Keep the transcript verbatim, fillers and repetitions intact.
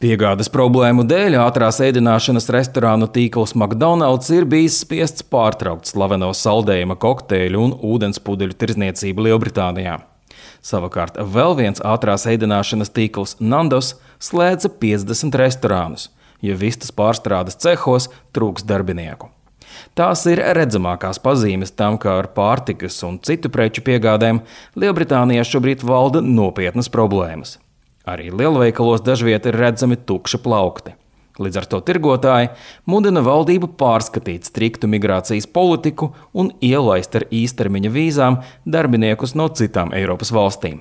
Piegādes problēmu dēļ ātrās ēdināšanas restorānu tīkls McDonald's ir bijis spiests pārtraukt slaveno saldējuma kokteļu un ūdenspudeļu tirdzniecību Lielbritānijā. Savukārt vēl viens ātrās ēdināšanas tīkls Nandos slēdza piecdesmit restorānus, jo vistas pārstrādes cehos trūks darbinieku. Tās ir redzamākās pazīmes tam, ka ar pārtikas un citu preču piegādēm Lielbritānijā šobrīd valda nopietnas problēmas. Arī lielveikalos dažviet ir redzami tukši plaukti. Līdz ar to tirgotāji mudina valdību pārskatīt striktu migrācijas politiku un ielaist ar īstermiņa vīzām darbiniekus no citām Eiropas valstīm.